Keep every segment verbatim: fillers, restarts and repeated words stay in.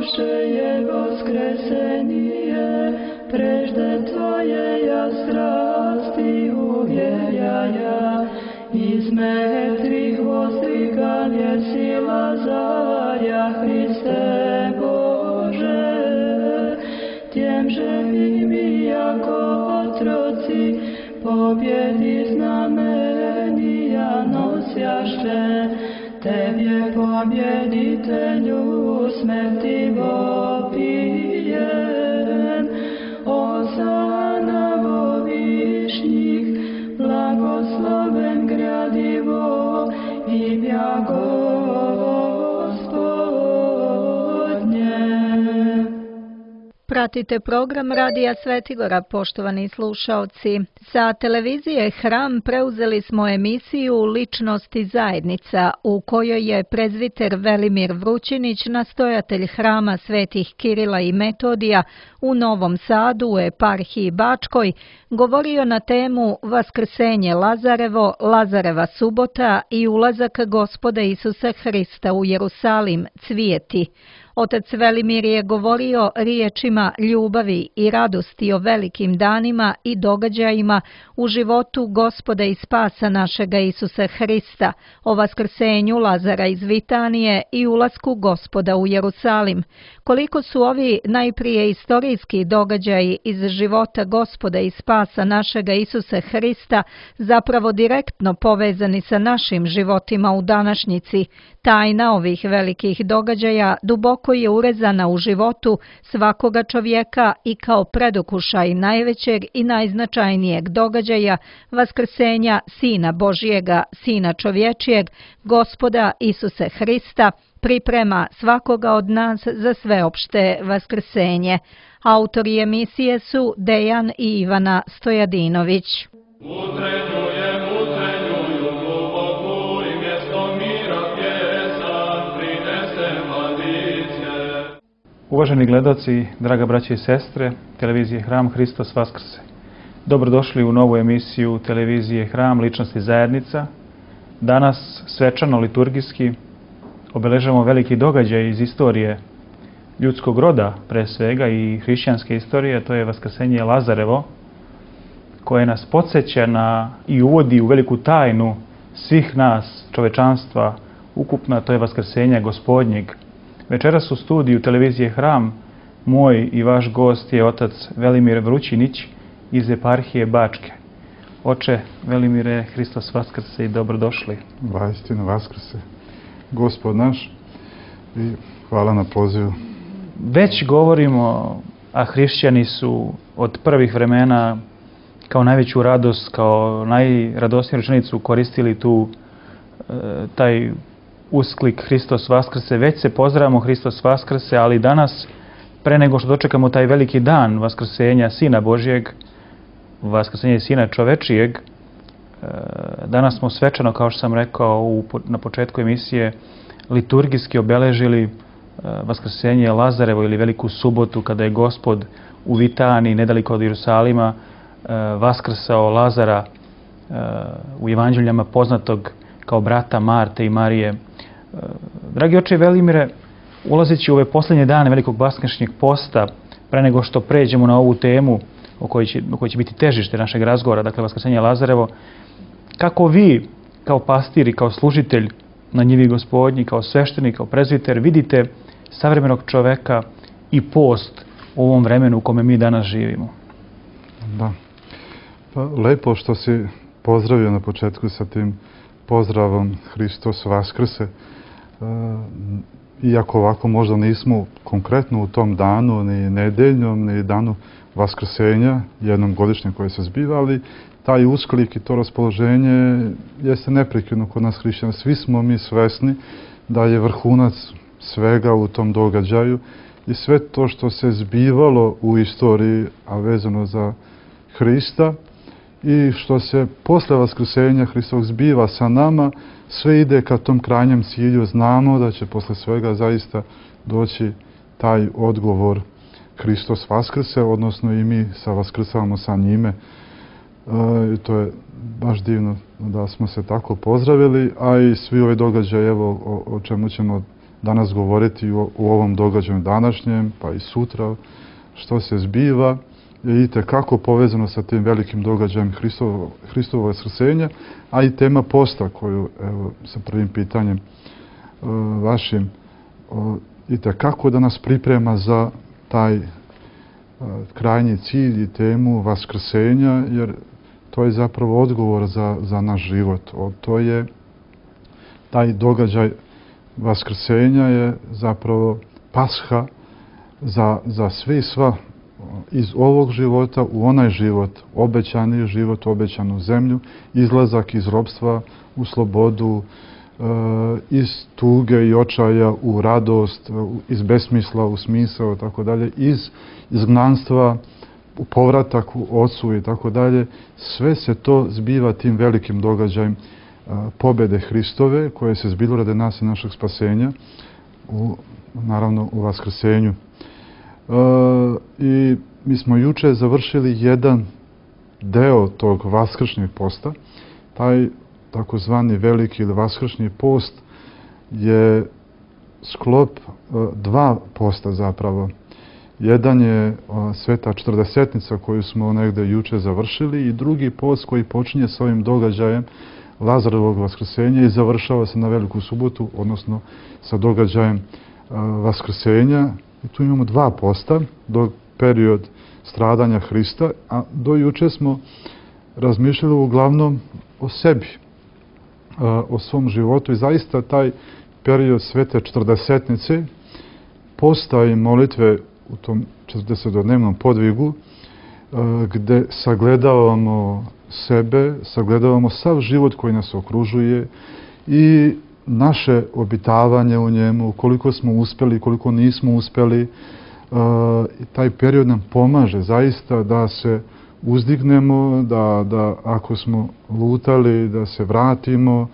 Bože je vaskrsenije, prežde Tvoje ja strasti uvjejaja, iz mrtvih vostigan je sila zarja, Hriste Bože, tjem živim i jako otroci, pobjedi znamenija nosjaše, Tebje pobjeditelju smrti vopijem. Osana vo višnjih, blagosloven gradivo imja Gospodnje. Pratite program Radija Svetigora, poštovani slušaoci. Sa televizije Hram preuzeli smo emisiju Ličnosti zajednica, u kojoj je prezviter Velimir Vrućinić, nastojatelj Hrama Svetih Kirila i Metodija u Novom Sadu u eparhiji Bačkoj, govorio na temu Vaskrsenje Lazarevo, Lazareva subota i ulazak Gospoda Isusa Hrista u Jerusalim, cvijeti. Otac Velimir je govorio riječima ljubavi i radosti o velikim danima i događajima u životu Gospoda i spasa našega Isusa Hrista, o vaskrsenju Lazara iz Vitanije i ulasku Gospoda u Jerusalim. Koliko su ovi najprije istorijski događaji iz života Gospoda i spasa našega Isusa Hrista zapravo direktno povezani sa našim životima u današnjici, tajna ovih velikih događaja duboko je urezana u životu svakoga čovjeka i kao predokušaj najvećeg i najznačajnijeg događaja vaskrsenja Sina Božjega, Sina čovječijeg, Gospoda Isusa Hrista, priprema svakoga od nas za sveopšte vaskrsenje. Autori emisije su Dejan i Ivana Stojadinović. Uvaženi gledaoci, draga braće i sestre, televizije Hram, Hristos Vaskrse. Dobrodošli u novu emisiju televizije Hram, Ličnosti zajednica. Danas svečano liturgijski obeležavamo veliki događaj iz istorije ljudskog roda, pre svega i hrišćanske istorije, to je vaskrsenje Lazarevo, koje nas podsjeća na i uvodi u veliku tajnu svih nas, čovečanstva, ukupna, to je vaskrsenje Gospodnjeg. Večeras u studiju televizije Hram moj i vaš gost je otac Velimir Vrućinić iz eparhije Bačke. Oče Velimire, Hristos Vaskrse i dobrodošli. Vaistinu Vaskrse, Gospod naš, i hvala na pozivu. Već govorimo, a hrišćani su od prvih vremena kao najveću radost, kao najradosniju rečenicu koristili tu taj usklik Hristos Vaskrse. Već se pozdravamo Hristos Vaskrse, ali danas, pre nego što dočekamo taj veliki dan vaskrsenja Sina Božjeg, vaskrsenja Sina čovečijeg, danas smo svečano, kao što sam rekao na početku emisije, liturgijski obeležili vaskrsenje Lazarevo ili Veliku subotu, kada je Gospod u Vitaniji, nedaleko od Jerusalima, vaskrsao Lazara, u evanđeljama poznatog kao brata Marte i Marije. Dragi oče Velimire, ulazeći u ove posljednje dane velikog vaskršnjeg posta, pre nego što pređemo na ovu temu o kojoj će, o kojoj će biti težište našeg razgovora, dakle vaskrsenje Lazarevo, kako vi, kao pastir i kao služitelj na njivi Gospodnji, kao sveštenik, kao prezviter, vidite savremenog čoveka i post u ovom vremenu u kome mi danas živimo? Da. Pa, lepo što si pozdravio na početku sa tim pozdravom Hristos Vaskrse. E, iako ovako možda nismo konkretno u tom danu, ni nedeljnom, ni danu Vaskrsenja, jednom godišnjem koje se zbiva, ali taj usklik i to raspoloženje jeste neprekidno kod nas hrišćana. Svi smo mi svesni da je vrhunac svega u tom događaju i sve to što se zbivalo u istoriji, a vezano za Hrista, i što se posle vaskrsenja Hristovog zbiva sa nama, sve ide ka tom krajnjem cilju. Znamo da će posle svega zaista doći taj odgovor Hristos Vaskrse, odnosno i mi sa vaskrsavamo sa njime. E, to je baš divno da smo se tako pozdravili, a i svi ove događaje, evo, o, o čemu ćemo danas govoriti u, u ovom događaju današnjem, pa i sutra, što se zbiva, je i tekako povezano sa tim velikim događajem Hristovo, Hristovo vaskrsenja, a i tema posta koju, evo, sa prvim pitanjem uh, vašim, uh, i tekako da nas priprema za taj uh, krajnji cilj i temu vaskrsenja, jer to je zapravo odgovor za, za naš život. O, to je taj događaj vaskrsenja je zapravo pasha za, za sve i sva iz ovog života u onaj život, obećani život, obećanu zemlju, izlazak iz ropstva u slobodu, e, iz tuge i očaja u radost, iz besmisla u smisao, tako dalje, iz izgnanstva u povratak u Ocu i tako dalje. Sve se to zbiva tim velikim događajem e, pobjede Hristove, koje se zbilo radi nas i našeg spasenja, u, naravno u vaskrsenju. Uh, i mi smo juče završili jedan deo tog vaskršnjeg posta. Taj takozvani veliki ili vaskršnji post je sklop uh, dva posta zapravo. Jedan je uh, Sveta četrdesetnica koju smo negde juče završili i drugi post koji počinje s ovim događajem Lazarovog vaskrsenja i završava se na Veliku subotu, odnosno sa događajem uh, vaskrsenja. I tu imamo dva posta, do period stradanja Hrista, a do juče smo razmišljali uglavnom o sebi, o svom životu i zaista taj period Svete četrdesetnice, posta i molitve u tom četrdesetodnevnom podvigu, gde sagledavamo sebe, sagledavamo sav život koji nas okružuje i naše obitavanje u njemu, koliko smo uspjeli, koliko nismo uspjeli. E, taj period nam pomaže zaista da se uzdignemo, da, da ako smo lutali, da se vratimo,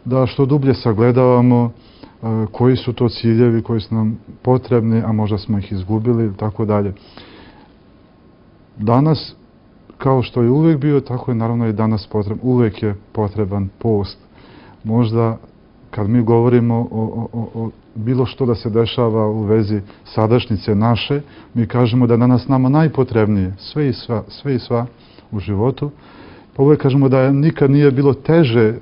da što dublje sagledavamo e, koji su to ciljevi koji su nam potrebni, a možda smo ih izgubili i tako dalje. Danas, kao što je uvijek bio, tako je naravno i danas potreban. Uvijek je potreban post. Možda kad mi govorimo o, o, o bilo što da se dešava u vezi sadašnjice naše, mi kažemo da je danas nama najpotrebnije sve i sva, sve i sva u životu. Pa uvijek kažemo da nikad nije bilo teže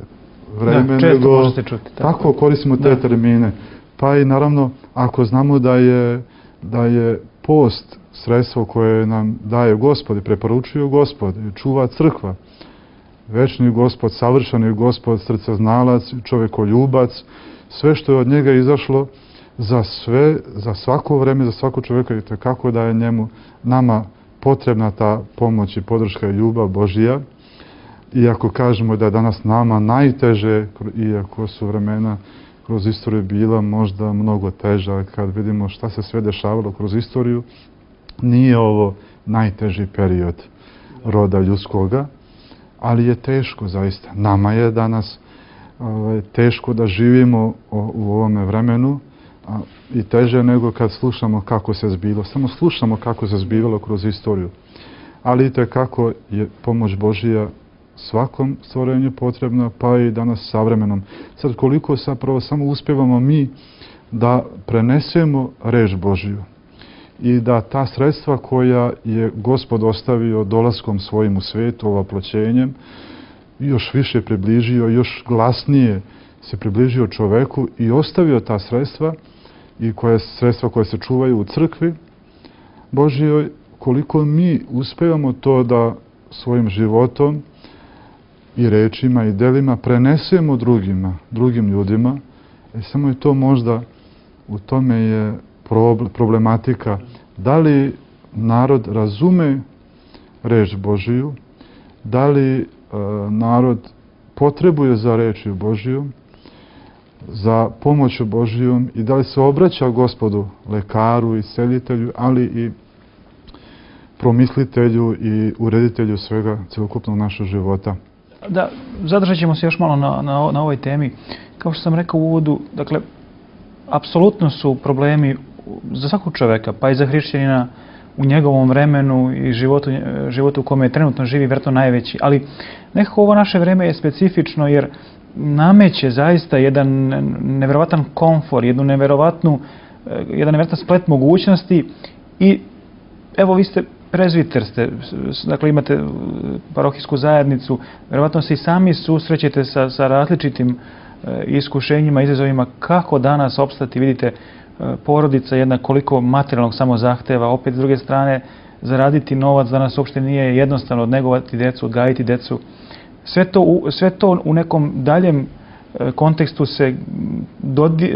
vreme, da, često nego možete čuti. Tako, tako koristimo te da. termine. Pa i naravno, ako znamo da je, da je post sredstvo koje nam daje Gospod i preporučuje Gospod i čuva crkva, večni Gospod, savršeni Gospod, srceznalac, čovjekoljubac, sve što je od njega izašlo za sve, za svako vreme, za svako čovjeka, i kako da je njemu, nama potrebna ta pomoć i podrška i ljubav Božija. Iako kažemo da je danas nama najteže, iako su vremena kroz istoriju bila možda mnogo teža, kad vidimo šta se sve dešavalo kroz istoriju, nije ovo najteži period roda ljudskoga. Ali je teško zaista. Nama je danas ovaj, teško da živimo o, u ovome vremenu a, i teže nego kad slušamo kako se zbilo. Samo slušamo kako se zbivalo kroz istoriju. Ali i kako je pomoć Božija svakom stvorenju potrebna, pa i danas savremenom. Sad koliko zapravo samo uspjevamo mi da prenesemo reč Božiju i da ta sredstva koja je Gospod ostavio dolaskom svojim u svijet, ovaploćenjem, još više približio, još glasnije se približio čoveku i ostavio ta sredstva i koje sredstva koje se čuvaju u crkvi Božijoj, koliko mi uspevamo to da svojim životom i rečima i delima prenesemo drugima, drugim ljudima. E, samo je to možda, u tome je problematika. Da li narod razume reč Božiju, da li e, narod potrebuje za reči Božiju, za pomoću Božijom i da li se obraća Gospodu, lekaru i celitelju, ali i promislitelju i ureditelju svega celokupnog našeg života. Da, zadržat ćemo se još malo na, na, na ovoj temi. Kao što sam rekao u uvodu, dakle, apsolutno su problemi za svakog čoveka, pa i za hrišćanina u njegovom vremenu i životu, životu u kome trenutno živi, vjerojatno najveći. Ali nekako ovo naše vreme je specifično jer nameće zaista jedan nevjerovatan komfor, jednu nevjerovatnu, jedan nevjerovatan splet mogućnosti. I evo, vi ste prezviter, ste, dakle imate parohijsku zajednicu, vjerovatno se i sami susrećete sa, sa različitim iskušenjima, izazovima. Kako danas opstati? Vidite, porodica jedna koliko materijalnog samo zahteva, opet s druge strane zaraditi novac danas uopšte nije jednostavno, odnegovati decu, odgajiti decu. Sve to, u, sve to u nekom daljem kontekstu se dodi,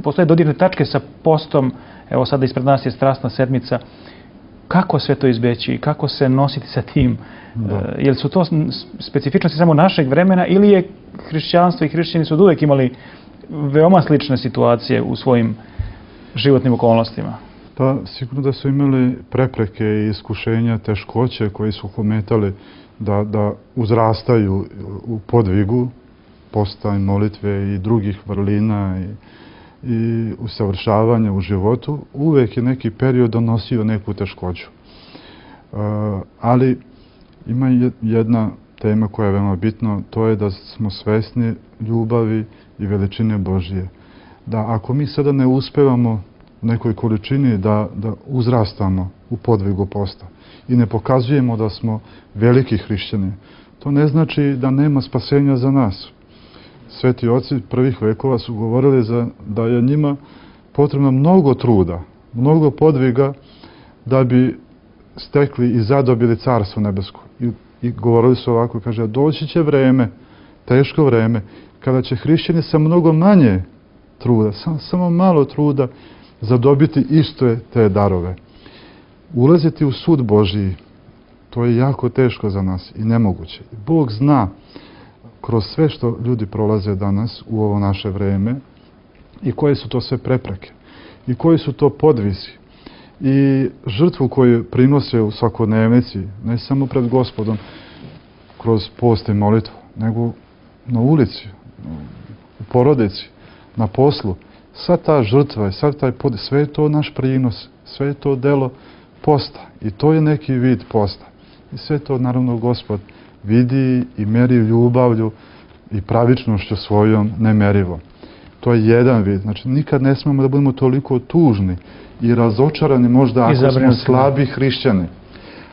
postoje dodirne tačke sa postom. Evo sada ispred nas je Strasna sedmica. Kako sve to izbeći? Kako se nositi sa tim? Da. Jel su to specifičnosti samo našeg vremena ili je hrišćanstvo i hrišćani su od uvek imali veoma slične situacije u svojim životnim okolnostima? Pa sigurno da su imali prepreke i iskušenja, teškoće koji su ometali da, da uzrastaju u podvigu posta i molitve i drugih vrlina i, i usavršavanja u životu. Uvek je neki period donosio neku teškoću. Uh, ali ima jedna tema koja je veoma bitna, to je da smo svesni ljubavi i veličine Božije. Da ako mi sada ne uspevamo u nekoj količini da, da uzrastamo u podvigu posta i ne pokazujemo da smo veliki hrišćani, to ne znači da nema spasenja za nas. Sveti oci prvih vekova su govorili za, da je njima potrebno mnogo truda, mnogo podviga da bi stekli i zadobili carstvo nebesko. I, i govorili su ovako, kaže, doći će vreme, teško vreme, kada će hrišćani sa mnogo manje truda, sam, samo malo truda, zadobiti isto te darove. Ulaziti u sud Božiji, to je jako teško za nas i nemoguće. Bog zna kroz sve što ljudi prolaze danas u ovo naše vreme i koje su to sve prepreke i koji su to podvisi i žrtvu koju prinose u svakodnevnici, ne samo pred Gospodom kroz post i molitvu, nego na ulici, u porodici, na poslu. Sva ta žrtva, sav taj pod, sve je to naš prinos, sve je to delo posta i to je neki vid posta. I sve to naravno Gospod vidi i meri ljubavlju i pravičnošću svojom nemerivo. To je jedan vid. Znači, nikad ne smemo da budemo toliko tužni i razočarani možda ako smo slabi hrišćani.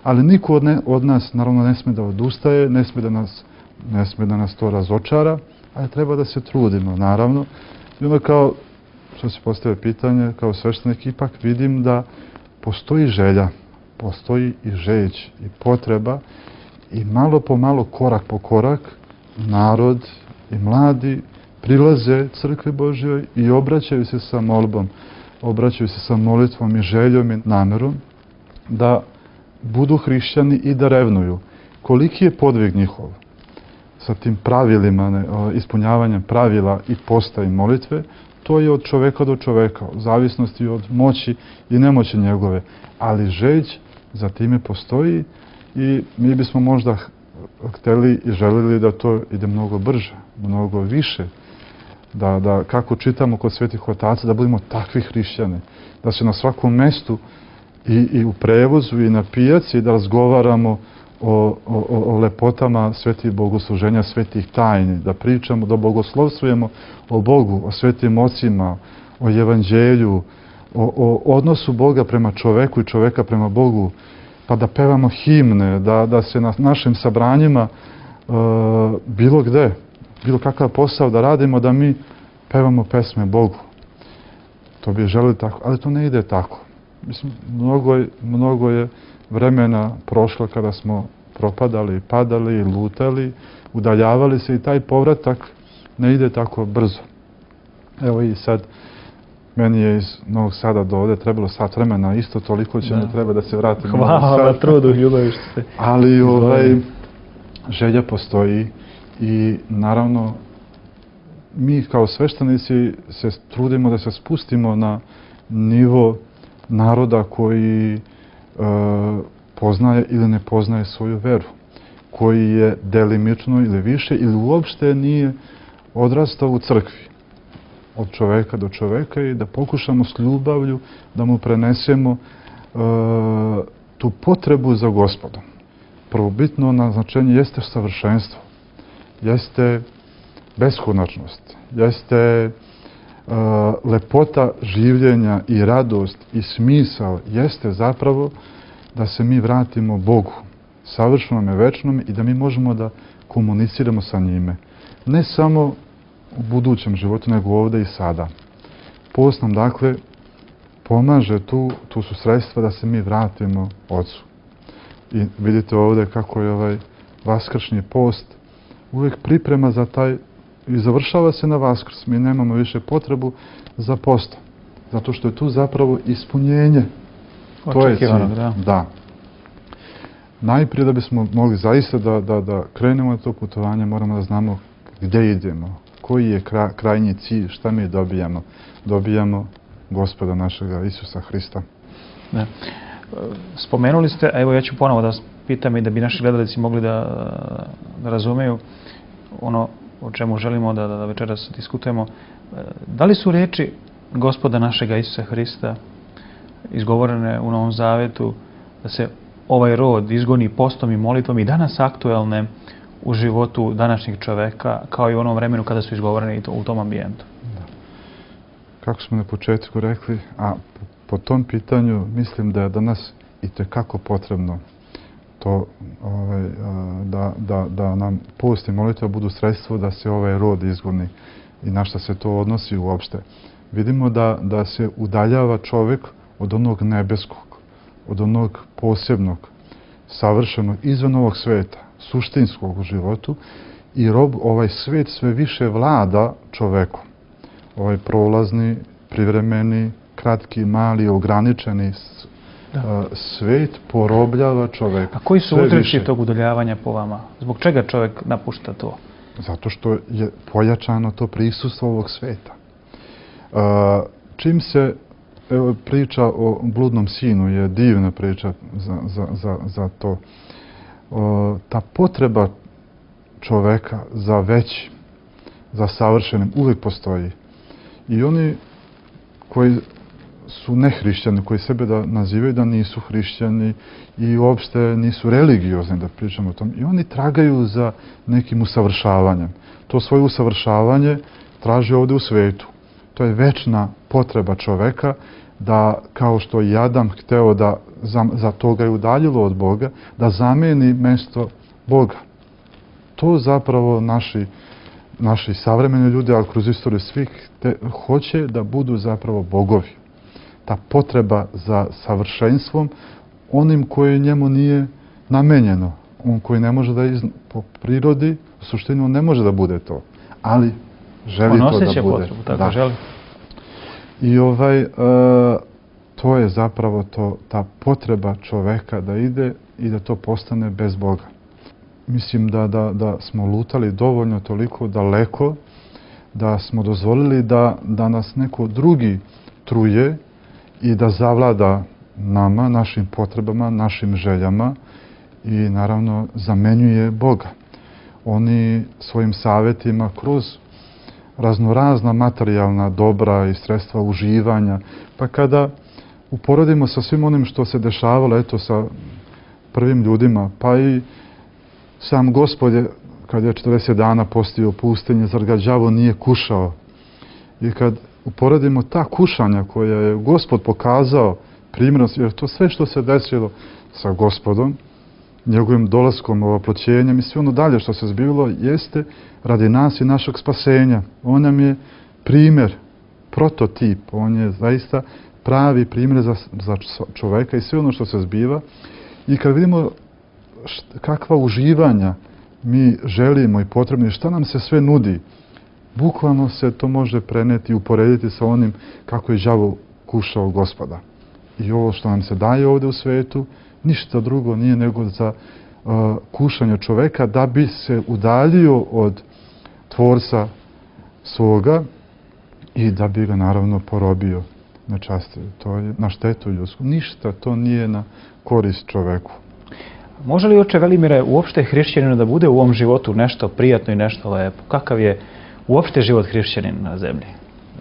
Ali niko od, ne, od nas naravno ne sme da odustaje, ne sme da nas, ne sme da nas to razočara, ali treba da se trudimo, naravno. I onda kao, što se postavlja pitanje, kao sveštenik ipak vidim da postoji želja, postoji i žeć i potreba i malo po malo, korak po korak, narod i mladi prilaze crkvi Božjoj i obraćaju se sa molbom, obraćaju se sa molitvom i željom i namerom da budu hrišćani i da revnuju. Koliki je podvig njihov sa tim pravilima, ne, ispunjavanjem pravila i posta i molitve, to je od čoveka do čoveka, u zavisnosti od moći i nemoći njegove. Ali žeć za time postoji i mi bismo možda hteli i želili da to ide mnogo brže, mnogo više. Da, da kako čitamo kod svetih otaca, da budemo takvi hrišćani. Da se na svakom mestu i, i u prevozu i na pijaci da razgovaramo o, o, o lepotama svetih bogosluženja, svetih tajni, da pričamo, da bogoslovstvujemo o Bogu, o svetim ocima, o evanđelju, o, o odnosu Boga prema čoveku i čoveka prema Bogu, pa da pevamo himne, da, da se na našim sabranjima uh, bilo gde, bilo kakav posao da radimo, da mi pevamo pesme Bogu. To bi želeli tako, ali to ne ide tako. Mislim, mnogo je, mnogo je vremena prošlo kada smo propadali, padali, lutali, udaljavali se i taj povratak ne ide tako brzo. Evo i sad, meni je iz Novog Sada do ovde trebalo sat vremena, isto toliko će mi treba da se vratim. Hvala na trudu, ljubavi što ste. Ali ovaj, želja postoji i naravno mi kao sveštenici se trudimo da se spustimo na nivo naroda koji e, poznaje ili ne poznaje svoju veru, koji je delimično ili više ili uopšte nije odrastao u crkvi od čoveka do čoveka i da pokušamo s ljubavlju da mu prenesemo e, tu potrebu za Gospodom. Prvobitno naznačenje jeste savršenstvo, jeste beskonačnost, jeste uh, lepota življenja i radost i smisao, jeste zapravo da se mi vratimo Bogu, savršenome, večnome i da mi možemo da komuniciramo sa njime. Ne samo u budućem životu, nego ovdje i sada. Post nam, dakle, pomaže tu, tu su sredstva da se mi vratimo Otcu. I vidite ovdje kako je ovaj vaskršnji post uvijek priprema za taj i završava se na Vaskrs. Mi nemamo više potrebu za postom. Zato što je tu zapravo ispunjenje. To je cilj. Da. da. Najprije da bismo mogli zaista da, da, da krenemo na to putovanje, moramo da znamo gdje idemo, koji je kraj, krajnji cilj, šta mi dobijamo. Dobijamo Gospoda našega Isusa Hrista. Da. Spomenuli ste, a evo ja ću ponovo da vas pitam i da bi naši gledalci mogli da, da razumeju ono o čemu želimo da, da večeras diskutujemo. Da li su riječi Gospoda našega Isusa Hrista izgovorene u Novom Zavetu da se ovaj rod izgoni postom i molitvom i danas aktuelne u životu današnjeg čoveka kao i u onom vremenu kada su izgovorene i to, u tom ambijentu? Da. Kako smo na početku rekli, a po, po tom pitanju mislim da je danas i tekako potrebno to ovaj, da, da, da nam post i molitva budu sredstvo da se ovaj rod izgoni i na šta se to odnosi uopšte. Vidimo da, da se udaljava čovjek od onog nebeskog, od onog posebnog, savršenog, izvan ovog sveta, suštinskog u životu i rob, ovaj svet sve više vlada čovekom. Ovaj prolazni, privremeni, kratki, mali, ograničeni da. svet porobljava čoveka. A koji su uzroci tog udaljavanja po vama? Zbog čega čovjek napušta to? Zato što je pojačano to prisustvo ovog sveta. Čim se evo, priča o bludnom sinu je divna priča za, za, za, za to. O, ta potreba čoveka za većim, za savršenim, uvijek postoji. I oni koji su nehrišćani, koji sebe da nazivaju da nisu hrišćani i uopšte nisu religiozni, da pričamo o tom, i oni tragaju za nekim usavršavanjem. To svoje usavršavanje traži ovdje u svetu. To je večna potreba čoveka da, kao što je Adam hteo da za, za toga je udaljilo od Boga, da zameni mjesto Boga. To zapravo naši, naši savremeni ljudi, ali kroz istoriju svih, te, hoće da budu zapravo bogovi. Ta potreba za savršenstvom, onim koje njemu nije namenjeno, on koji ne može da iz, po prirodi, u suštini on ne može da bude to, ali želi on to da bude. Potrebu, tako da. Želi. I ovaj, uh, to je zapravo to, ta potreba čoveka da ide i da to postane bez Boga. Mislim da, da, da smo lutali dovoljno toliko daleko, da smo dozvolili da, da nas neko drugi truje i da zavlada nama, našim potrebama, našim željama i naravno zamenjuje Boga. Oni svojim savjetima kroz raznorazna materijalna dobra i sredstva uživanja, pa kada uporedimo sa svim onim što se dešavalo, eto, sa prvim ljudima, pa i sam Gospod je, kad je četrdeset dana postio u pustinji, zar ga đavo nije kušao? I kad uporedimo ta kušanja koja je Gospod pokazao primjerom, jer to sve što se desilo sa Gospodom, njegovim dolaskom, ovoploćenjem i sve ono dalje što se zbivilo, jeste radi nas i našeg spasenja. On nam je primjer, prototip, on je zaista pravi primjer za, za čoveka i sve ono što se zbiva. I kad vidimo št, kakva uživanja mi želimo i potrebno i šta nam se sve nudi, bukvalno se to može preneti i uporediti sa onim kako je đavo kušao Gospoda. I ovo što nam se daje ovdje u svetu, ništa drugo nije nego za uh, kušanje čoveka da bi se udaljio od tvorca svoga i da bi ga naravno porobio na čast. To je na štetu ljudsku. Ništa to nije na korist čoveku. Može li, oče Velimire, uopšte hrišćaninu da bude u ovom životu nešto prijatno i nešto lepo? Kakav je uopšte život hrišćanin na zemlji?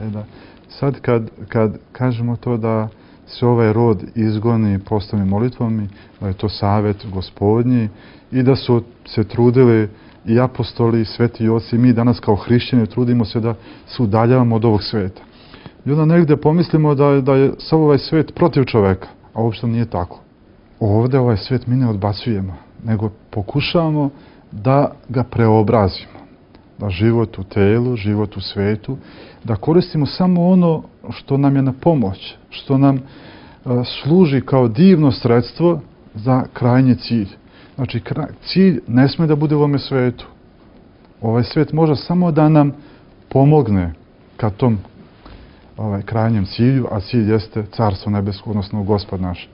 E da. Sad kad, kad kažemo to da se ovaj rod izgoni postom i molitvom, da je to savjet Gospodnji i da su se trudili i apostoli, i sveti oci, mi danas kao hrišćani trudimo se da se udaljavamo od ovog sveta. I onda negde pomislimo da je, da je sav ovaj svet protiv čoveka, a uopšte nije tako. Ovde ovaj svet mi ne odbacujemo, nego pokušavamo da ga preobrazimo. Da život u telu, život u svetu, da koristimo samo ono što nam je na pomoć, što nam uh, služi kao divno sredstvo za krajnji cilj. Znači, kraj, cilj ne sme da bude u ovome svetu. Ovaj svet može samo da nam pomogne ka tom ovaj, krajnjem cilju, a cilj jeste Carstvo nebesko, odnosno Gospod naš.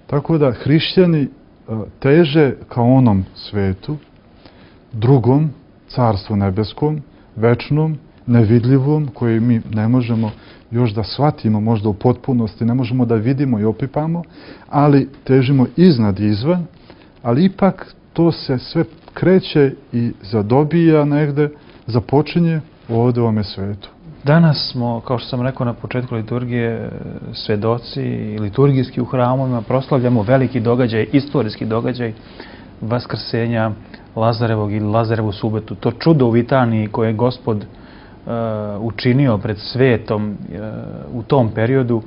Tako da hrišćani uh, teže ka onom svetu, drugom, Carstvu nebeskom, večnom, nevidljivom, koje mi ne možemo još da shvatimo možda u potpunosti, ne možemo da vidimo i opipamo, ali težimo iznad i izvan, ali ipak to se sve kreće i zadobija negde, započinje ovde u ovome svetu. Danas smo, kao što sam rekao na početku liturgije, svedoci liturgijski u hramovima, proslavljamo veliki događaj, istorijski događaj Vaskrsenja Lazarevog ili Lazarevu subotu. To čudo u Vitaniji koje je Gospod uh, učinio pred svetom uh, u tom periodu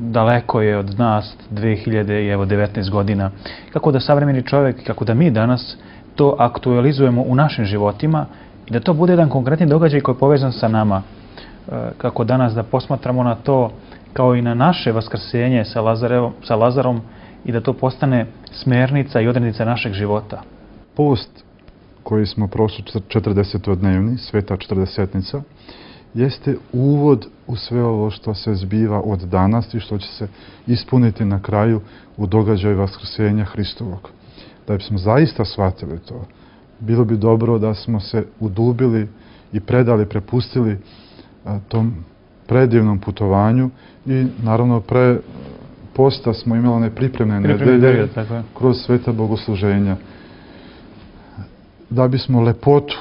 daleko je od nas dve hiljade devetnaeste godina. Kako da savremeni čovjek, kako da mi danas to aktualizujemo u našim životima i da to bude jedan konkretni događaj koji je povezan sa nama. Uh, kako danas da posmatramo na to kao i na naše vaskrsenje sa, Lazarevom, sa Lazarom i da to postane smernica i odrednica našeg života. Post koji smo prošli četrdesetodnevni, sveta četrdesetnica, jeste uvod u sve ovo što se zbiva od danas i što će se ispuniti na kraju u događaju Vaskrsenja Hristovog. Da bismo zaista shvatili to, bilo bi dobro da smo se udubili i predali, prepustili a, tom predivnom putovanju i naravno pre posta smo imali one pripremne nedelje kroz sveta bogosluženja. Da bismo lepotu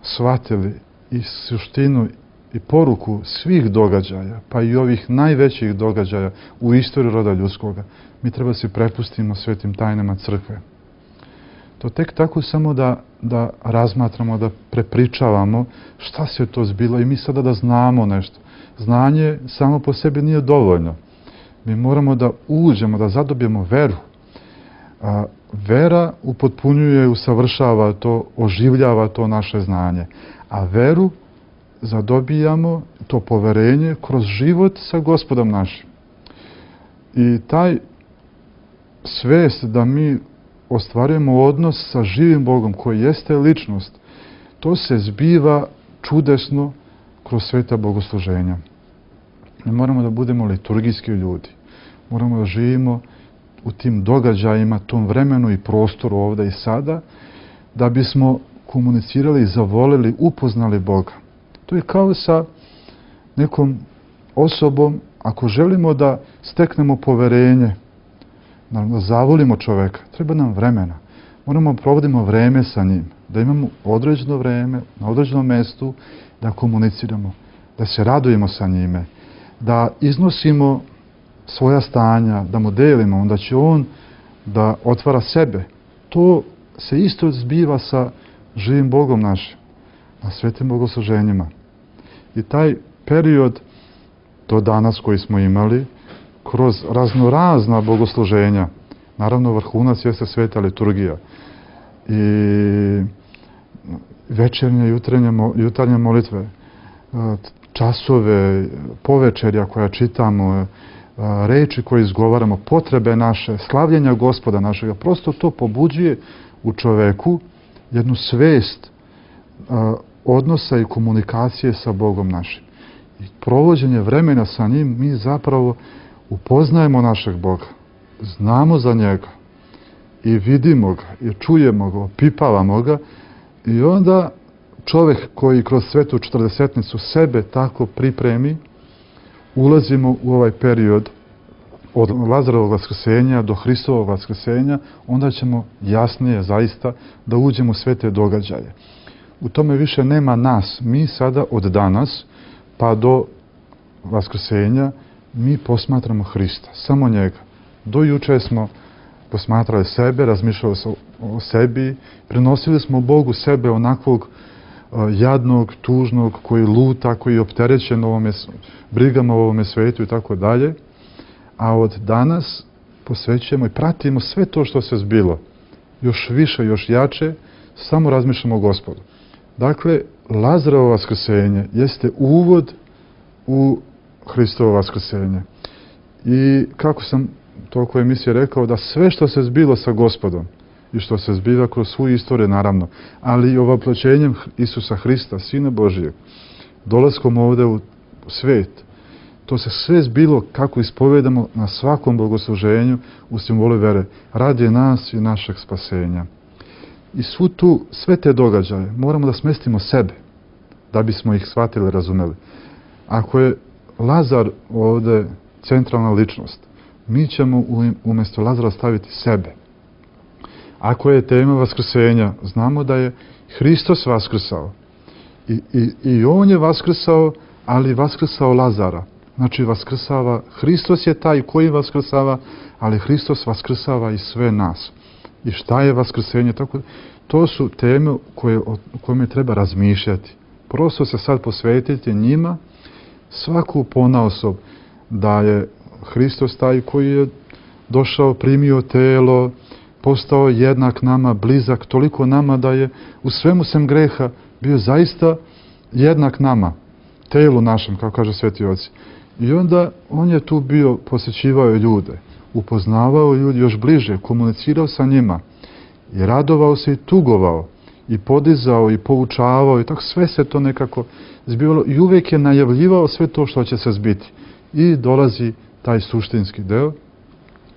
shvatili i suštinu i poruku svih događaja, pa i ovih najvećih događaja u istoriji roda ljudskoga, mi treba se prepustimo svetim tajnama crkve. To tek tako samo da, da razmatramo, da prepričavamo šta se to zbilo i mi sada da znamo nešto. Znanje samo po sebi nije dovoljno. Mi moramo da uđemo, da zadobijemo veru. A, vera upotpunjuje, usavršava to, oživljava to naše znanje. A veru zadobijamo, to poverenje, kroz život sa Gospodom našim. I taj svest da mi ostvarujemo odnos sa živim Bogom, koji jeste ličnost, to se zbiva čudesno kroz sveta bogosluženja. Mi moramo da budemo liturgijski ljudi. Moramo da živimo u tim događajima, tom vremenu i prostoru ovde i sada, da bismo komunicirali, zavolili, upoznali Boga. To je kao sa nekom osobom, ako želimo da steknemo poverenje, da zavolimo čoveka, treba nam vremena. Moramo da provodimo vreme sa njim, da imamo određeno vreme, na određenom mestu, da komuniciramo, da se radujemo sa njime, da iznosimo svoja stanja, da mu delimo, onda će on da otvara sebe. To se isto zbiva sa živim Bogom našim, na svetim bogosluženjima. I taj period do danas koji smo imali, kroz raznorazna bogosluženja, naravno vrhunac jeste sveta liturgija i večernje, jutarnje, jutarnje molitve, časove, povečerja koja čitamo, reči koje izgovaramo, potrebe naše, slavljenja Gospoda našega, prosto to pobuđuje u čoveku jednu svest odnosa i komunikacije sa Bogom našim. I provođenje vremena sa njim mi zapravo upoznajemo našeg Boga, znamo za njega i vidimo ga i čujemo ga, opipavamo ga i onda čovek koji kroz svetu četrdesetnicu sebe tako pripremi, ulazimo u ovaj period od Lazarovog vaskrsenja do Hristovog vaskrsenja, onda ćemo jasnije zaista da uđemo u sve te događaje. U tome više nema nas. Mi sada od danas pa do vaskrsenja mi posmatramo Hrista, samo njega. Do juče smo posmatrali sebe, razmišljali o sebi, prenosili smo Bogu sebe onakvog jadnog, tužnog, koji luta, koji je opterećen ovome, brigama u ovome svetu i tako dalje. A od danas posvećujemo i pratimo sve to što se zbilo. Još više, još jače, samo razmišljamo o Gospodu. Dakle, Lazarovo vaskrsenje jeste uvod u Hristovo vaskrsenje. I kako sam toliko emisije rekao, da sve što se zbilo sa Gospodom i što se zbiva kroz svu istoriju, naravno, ali i ovoploćenjem Isusa Hrista, Sina Božijeg, dolaskom ovde u svet, to se sve zbilo kako ispovedamo na svakom bogosluženju u simbolu vere, radi nas i našeg spasenja. I svu tu, sve te događaje moramo da smestimo sebe, da bismo ih shvatili i razumeli. Ako je Lazar ovde centralna ličnost, mi ćemo umjesto Lazara staviti sebe. Ako je tema vaskrsenja, znamo da je Hristos vaskrsao. I, i, i on je vaskrsao, ali vaskrsao Lazara. Znači, vaskrsava, Hristos je taj koji vaskrsava, ali Hristos vaskrsava i sve nas. I šta je vaskrsenje? Tako, to su teme koje, o kojima treba razmišljati. Prosto se sad posvetiti njima, svaku ponaosob, da je Hristos taj koji je došao, primio telo, postao jednak nama, blizak, toliko nama da je u svemu sem greha bio zaista jednak nama, telu našem, kao kaže Sveti Oci. I onda on je tu bio, posjećivao ljude, upoznavao ljudi još bliže, komunicirao sa njima i radovao se i tugovao i podizao i poučavao i tako sve se to nekako zbivalo i uvijek je najavljivao sve to što će se zbiti. I dolazi taj suštinski deo,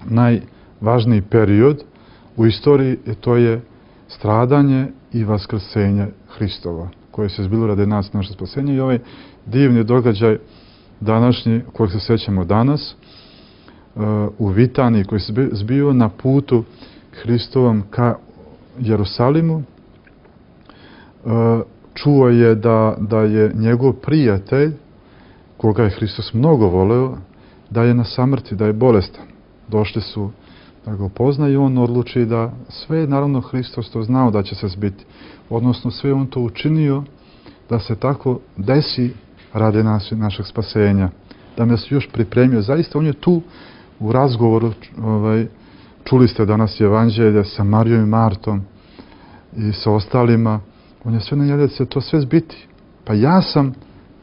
najvažniji period u istoriji, to je stradanje i vaskrsenje Hristova, koje se zbilo radi nas, naše spasenje, i ovaj divni događaj današnji, kojeg se sjećamo danas, u Vitaniji, koji se zbio na putu Hristovom ka Jerusalimu. Čuo je da, da je njegov prijatelj, koga je Hristos mnogo voleo, da je na samrti, da je bolestan. Došli su da ga upozna i on odluči da sve, naravno Hristos to znao da će se zbiti. Odnosno sve on to učinio da se tako desi radi nas i našeg spasenja. Da nas još pripremio. Zaista on je tu u razgovoru, ovaj, čuli ste danas evanđelje sa Marijom i Martom i sa ostalima. On je sve najavio da će to sve zbiti. Pa ja sam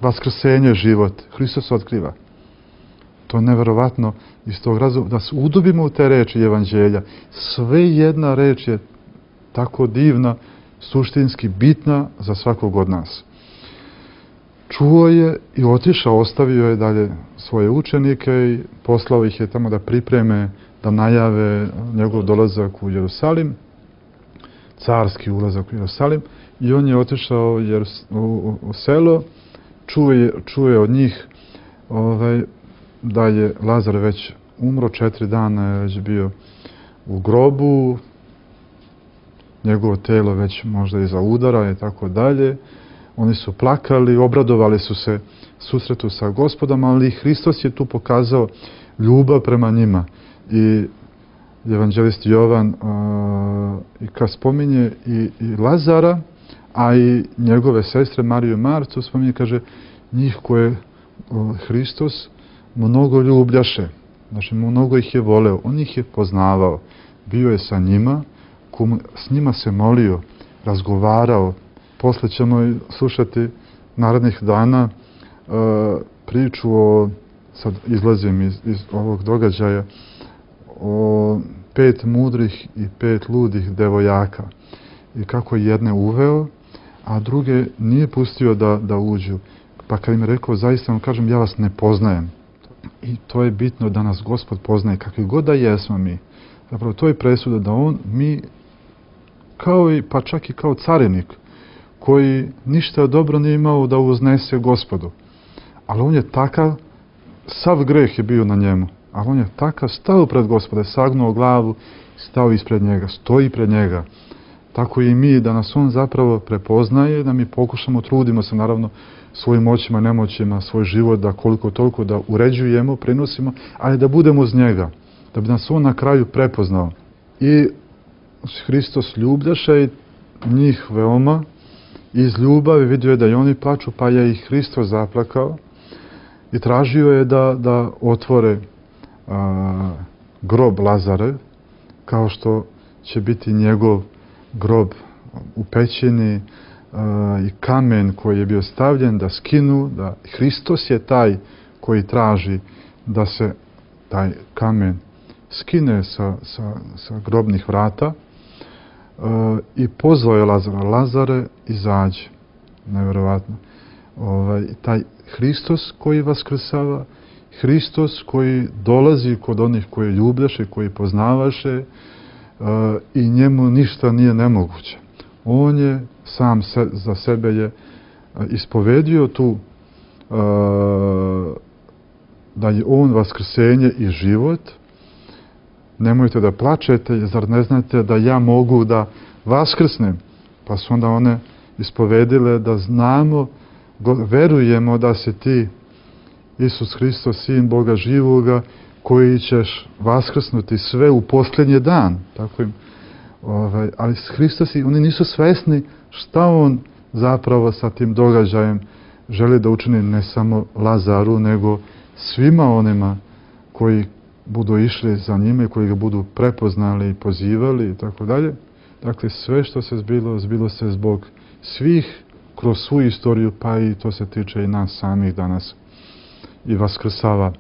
vaskrsenje, život. Hristos otkriva. To je neverovatno iz tog razloga da se udubimo u te reči evanđelja. Sve jedna reč je tako divna, suštinski bitna za svakog od nas. Čuo je i otišao, ostavio je dalje svoje učenike i poslao ih je tamo da pripreme, da najave njegov dolazak u Jerusalim, carski ulazak u Jerusalim, i on je otišao u, u, u selo, čuje, čuje od njih ovaj, da je Lazar već umro, četiri dana je već bio u grobu, njegovo telo već možda iza udara i tako dalje. Oni su plakali, obradovali su se susretu sa Gospodom, ali Hristos je tu pokazao ljubav prema njima. I evanđelist Jovan uh, i kad spominje i, i Lazara, a i njegove sestre Mariju i Martu, spominje, kaže, njih koje uh, Hristos mnogo ljubljaše. Znači, mnogo ih je voleo, on ih je poznavao. Bio je sa njima, s njima se molio, razgovarao. Posle ćemo slušati narednih dana uh, priču o, sad izlazim iz, iz ovog događaja, o pet mudrih i pet ludih devojaka. I kako je jedne uveo, a druge nije pustio da, da uđu. Pa kad im je rekao, zaista vam kažem, ja vas ne poznajem. I to je bitno da nas Gospod poznaje, kakvi god da jesmo mi. Zapravo, to je presuda da on, mi, kao i, pa čak i kao carinik, koji ništa dobro nije imao da uznese Gospodu. Ali on je takav, sav greh je bio na njemu, ali on je takav stao pred Gospoda, sagnuo glavu, stao ispred njega, stoji pred njega. Tako i mi, da nas on zapravo prepoznaje, da mi pokušamo, trudimo se naravno svojim moćima, nemoćima, svoj život, da koliko toliko da uređujemo, prenosimo, ali da budemo uz njega, da bi nas on na kraju prepoznao. I Hristos ljubljaše njih veoma, iz ljubavi vidio je da i oni plaču, pa je i Hristos zaplakao i tražio je da, da otvore a, grob Lazarev, kao što će biti njegov grob u pećini, a, i kamen koji je bio stavljen da skinu, da Hristos je taj koji traži da se taj kamen skine sa, sa, sa grobnih vrata. Uh, i pozvao je Lazara, Lazare, izađi. Nevjerovatno. Ovaj, taj Hristos koji vaskrsava, Hristos koji dolazi kod onih koji ljubljaše, koji poznavaše, uh, i njemu ništa nije nemoguće. On je sam se, za sebe je ispovedio tu uh, da je on vaskrsenje i život. Nemojte da plačete, zar ne znate da ja mogu da vaskrsnem? Pa su onda one ispovedile da znamo, verujemo da si ti, Isus Hristos, Sin Boga živoga, koji ćeš vaskrsnuti sve u posljednji dan. Tako im, ovaj, ali Hristos, oni nisu svesni šta on zapravo sa tim događajem želi da učini ne samo Lazaru, nego svima onima koji budu išli za njime, koji ga budu prepoznali i pozivali i tako dalje. Dakle, sve što se zbilo, zbilo se zbog svih kroz svu istoriju, pa i to se tiče i nas samih danas. I vaskrsava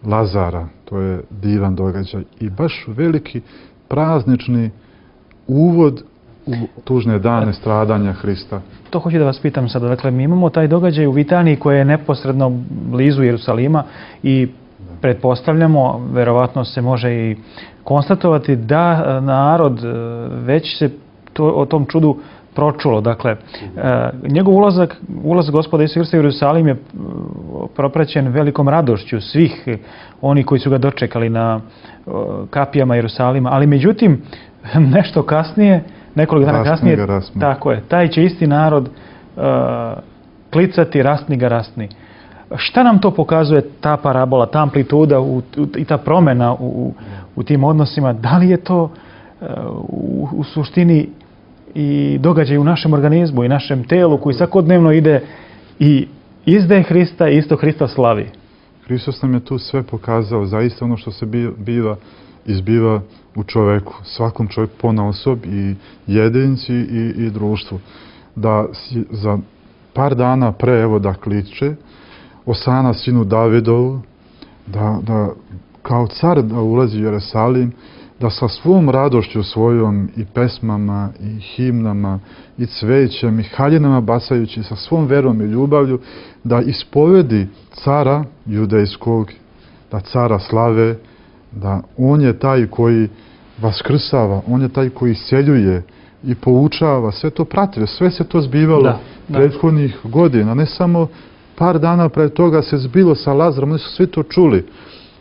Lazara, to je divan događaj i baš veliki praznični uvod u tužne dane stradanja Hrista. To hoću da vas pitam sada. Dakle, mi imamo taj događaj u Vitaniji koji je neposredno blizu Jerusalima i pretpostavljamo, verovatno se može i konstatovati da narod već se to, o tom čudu pročulo. Dakle, njegov ulazak, ulazak Gospoda Isusa Hrista u Jerusalim je propraćen velikom radošću svih oni koji su ga dočekali na kapijama Jerusalima, ali međutim, nešto kasnije, nekoliko dana kasnije, tako je, taj će isti narod uh, klicati rastni ga rastni. Šta nam to pokazuje ta parabola, ta amplituda u, u, i ta promjena u, u tim odnosima? Da li je to uh, u, u suštini i događaj u našem organizmu i našem telu koji svakodnevno ide i izdaje Hrista i isto Hrista slavi? Hristos nam je tu sve pokazao, zaista ono što se biva, izbiva u čoveku, svakom čovjeku ponaosob, i jedinci i, i društvu. Da za par dana pre, evo da kliče, Osana sinu Davidovu, da, da kao car da ulazi u Jerusalim, da sa svom radošću svojom i pesmama i himnama i cvećem i haljinama bacajući, sa svom verom i ljubavlju, da ispovedi cara judejskog, da cara slave, da on je taj koji vaskrsava, on je taj koji isceljuje i poučava, sve to pratilo, sve se to zbivalo da, da. prethodnih godina, ne samo par dana pre toga se zbilo sa Lazarom, oni su svi to čuli.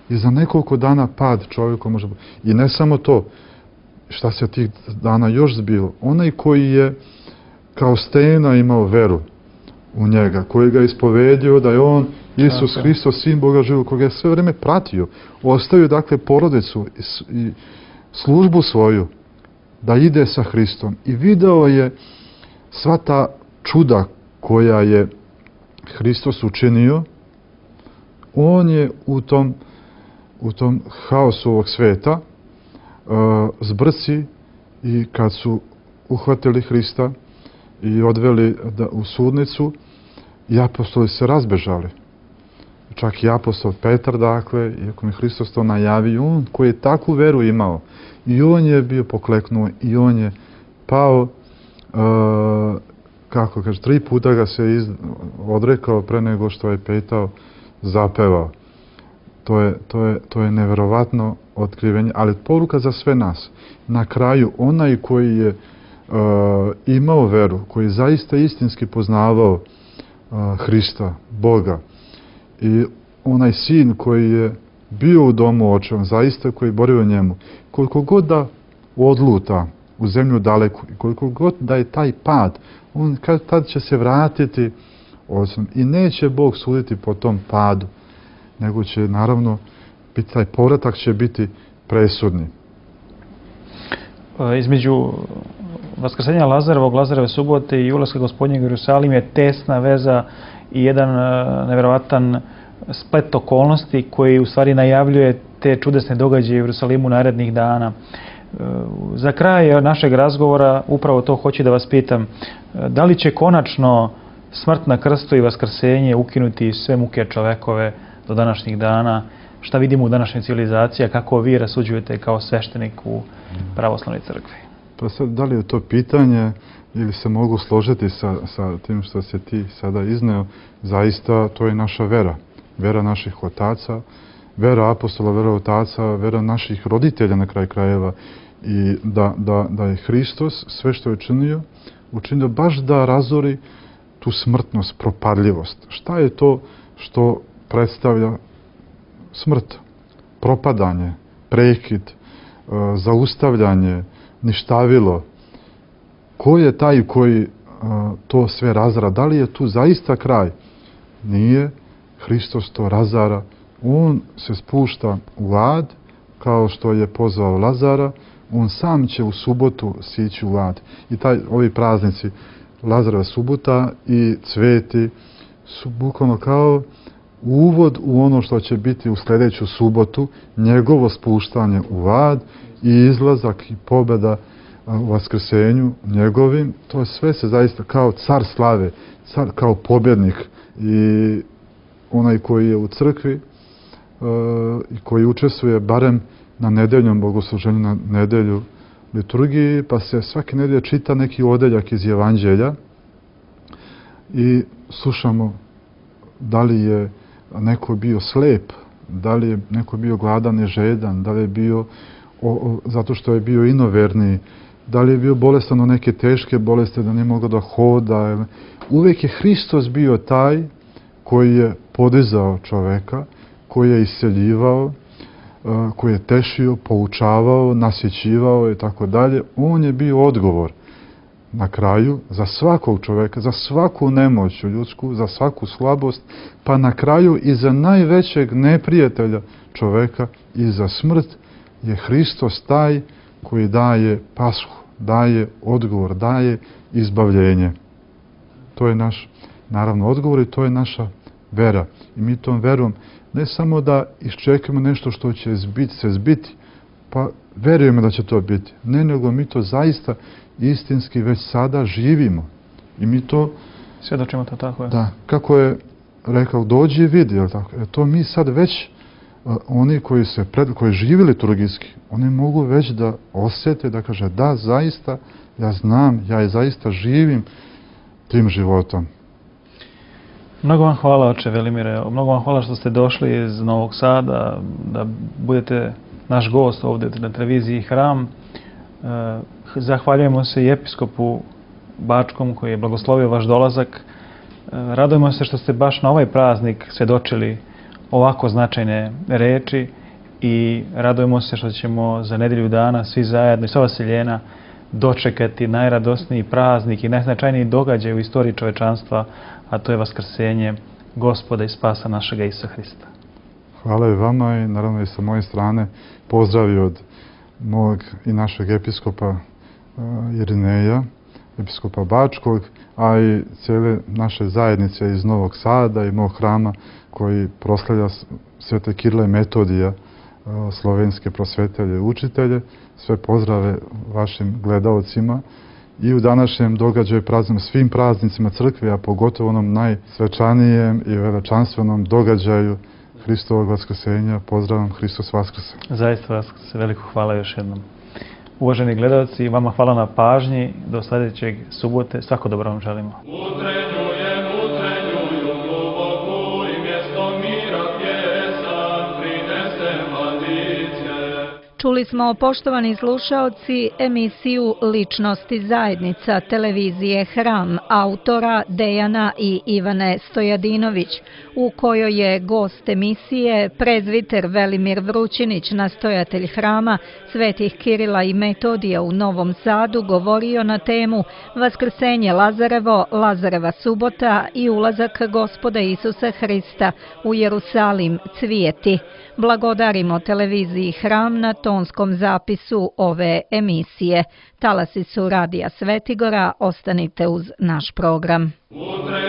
I za nekoliko dana pad čovjeka može biti. I ne samo to, šta se tih dana još zbilo. Onaj koji je kao stena imao veru u njega, koji ga je ispovedio da je on Isus Hristos, Sin Boga živog, koga je sve vrijeme pratio. Ostavio dakle porodicu i službu svoju da ide sa Hristom. I video je sva ta čuda koja je Hristos učinio. On je u tom u tom haosu ovog sveta uh, zbrci, i kad su uhvatili Hrista i odveli da, u sudnicu, i apostoli se razbežali. Čak i apostol Petar, dakle, iako mi Hristos to najavio, on koji je takvu veru imao, i on je bio pokleknuo, i on je pao, uh, kako kaže, tri puta ga se iz, odrekao pre nego što je Petao zapevao. To je, to je, to je neverovatno otkrivenje, ali poruka za sve nas. Na kraju, onaj koji je uh, imao veru, koji je zaista istinski poznavao uh, Hrista, Boga, i onaj sin koji je bio u domu očevom, zaista koji je borio njemu, koliko god da odluta u zemlju daleku, i koliko god da je taj pad, on kad tad će se vratiti osim, i neće Bog suditi po tom padu, nego će, naravno, biti, taj povratak će biti presudni. između vaskrsenja Lazarevog, Lazareve subote i ulaska Gospodnjeg u Jerusalim je tesna veza i jedan nevjerovatan splet okolnosti koji u stvari najavljuje te čudesne događaje u Jerusalimu narednih dana. Za kraj našeg razgovora upravo to hoću da vas pitam. Da li će konačno smrt na krstu i vaskrsenje ukinuti sve muke čovekove do današnjih dana? Šta vidimo u današnjoj civilizaciji, a kako vi rasuđujete kao sveštenik u pravoslavnoj crkvi? Pa sad, da li je to pitanje ili se mogu složiti sa, sa tim što se ti sada izneo? Zaista to je naša vera. Vera naših otaca, vera apostola, vera otaca, vera naših roditelja na kraj krajeva. I da, da, da je Hristos sve što je činio, učinio baš da razori tu smrtnost, propadljivost. Šta je to što predstavlja smrt? Propadanje, prekid, zaustavljanje, ništavilo. Ko je taj koji to sve razara? Da li je tu zaista kraj? Nije. Hristos to razara. On se spušta u ad, kao što je pozvao Lazara. On sam će u subotu sići u ad. I taj, ovi praznici, Lazareva subota i cveti, su bukvalno kao uvod u ono što će biti u sljedeću subotu, njegovo spuštanje u ad i izlazak i pobjeda u vaskrsenju njegovim. To sve se zaista kao car slave, car, kao pobjednik i onaj koji je u crkvi e, i koji učestvuje barem na nedeljnom bogosluženju, na nedelju liturgiji, pa se svake nedelje čita neki odeljak iz Evanđelja i slušamo da li je neko bio slep, da li je neko bio gladan i žedan, da li je bio o, o, zato što je bio inoverni, da li je bio bolestan od neke teške bolesti, da nije mogao da hoda. Uvijek je Hristos bio taj koji je podizao čoveka, koji je isceljivao, koji je tešio, poučavao, nasjećivao i tako dalje. On je bio odgovor na kraju za svakog čoveka, za svaku nemoć ljudsku, za svaku slabost, pa na kraju i za najvećeg neprijatelja čoveka i za smrt je Hristos taj koji daje pashu, daje odgovor, daje izbavljenje. To je naš, naravno, odgovor i to je naša vera. I mi tom verom ne samo da iščekamo nešto što će zbiti, se zbiti, pa verujemo da će to biti. Ne, nego mi to zaista istinski već sada živimo. I mi to... Svjedočimo to, tako je. Da, kako je rekao, dođi i vidi, jel tako? E, to mi sad već, uh, oni koji se pred, koji živi liturgijski, oni mogu već da osjete, da kaže, da, zaista, ja znam, ja i zaista živim tim životom. Mnogo vam hvala, oče Velimire. Mnogo vam hvala što ste došli iz Novog Sada, da budete naš gost ovdje na televiziji Hram. Zahvaljujemo se i episkopu Bačkom koji je blagoslovio vaš dolazak. Radujemo se što ste baš na ovaj praznik svjedočili ovako značajne reči i radujemo se što ćemo za nedelju dana svi zajedno i sva vaseljena dočekati najradosniji praznik i najznačajniji događaj u istoriji čovečanstva, a to je vaskrsenje Gospoda i spasa našega Isusa Hrista. Hvala i vama i naravno i sa moje strane pozdravi od mog i našeg episkopa Irineja, episkopa Bačkog, a i cijele naše zajednice iz Novog Sada i mog hrama koji proslavlja Svete Kirila i Metodija, slovenske prosvetelje i učitelje. Sve pozdrave vašim gledaocima i u današnjem događaju praznimo svim praznicima crkve, a pogotovo onom najsvečanijem i veličanstvenom događaju Hristovog vaskrsenja. Pozdravam, Hristos vaskrse. Zaista vas se veliko hvala još jednom. Uvaženi gledalci, vama hvala na pažnji. Do sljedećeg subote. Svako dobro vam želimo. Utrenjujem, utrenjuju gluboko i mjesto mira pjesan prinesem mladiće. Čuli smo, poštovani slušaoci, emisiju Ličnosti zajednica televizije Hram autora Dejana i Ivane Stojadinović, u kojoj je gost emisije prezviter Velimir Vrućinić, nastojatelj hrama Svetih Kirila i Metodija u Novom Sadu, govorio na temu Vaskrsenje Lazarevo, Lazareva subota i ulazak Gospoda Isusa Hrista u Jerusalim cvijeti. Blagodarimo televiziji Hram na to tonskom zapisu ove emisije. Talasi su Radija Svetigora, ostanite uz naš program. Utre